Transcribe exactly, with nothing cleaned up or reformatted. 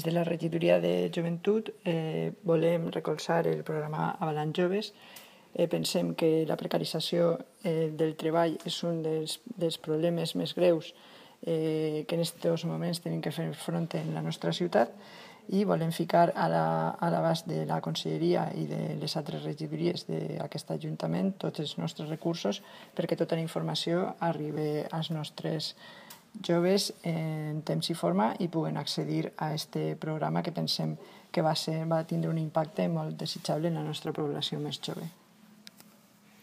de la regidoria de joventut eh, volem recolzar el programa Avalant Joves. Eh, pensem que la precarització eh, del treball és un dels, dels problemes més greus eh, que en aquests moments tenim que fer front en la nostra ciutat i volem ficar a l'abast de la Conselleria i de les altres regidories d'aquest Ajuntament tots els nostres recursos perquè tota la informació arribi als nostres joves en temps i forma i puguen accedir a aquest programa que pensem que va, ser, va tindre un impacte molt desitjable en la nostra població més jove.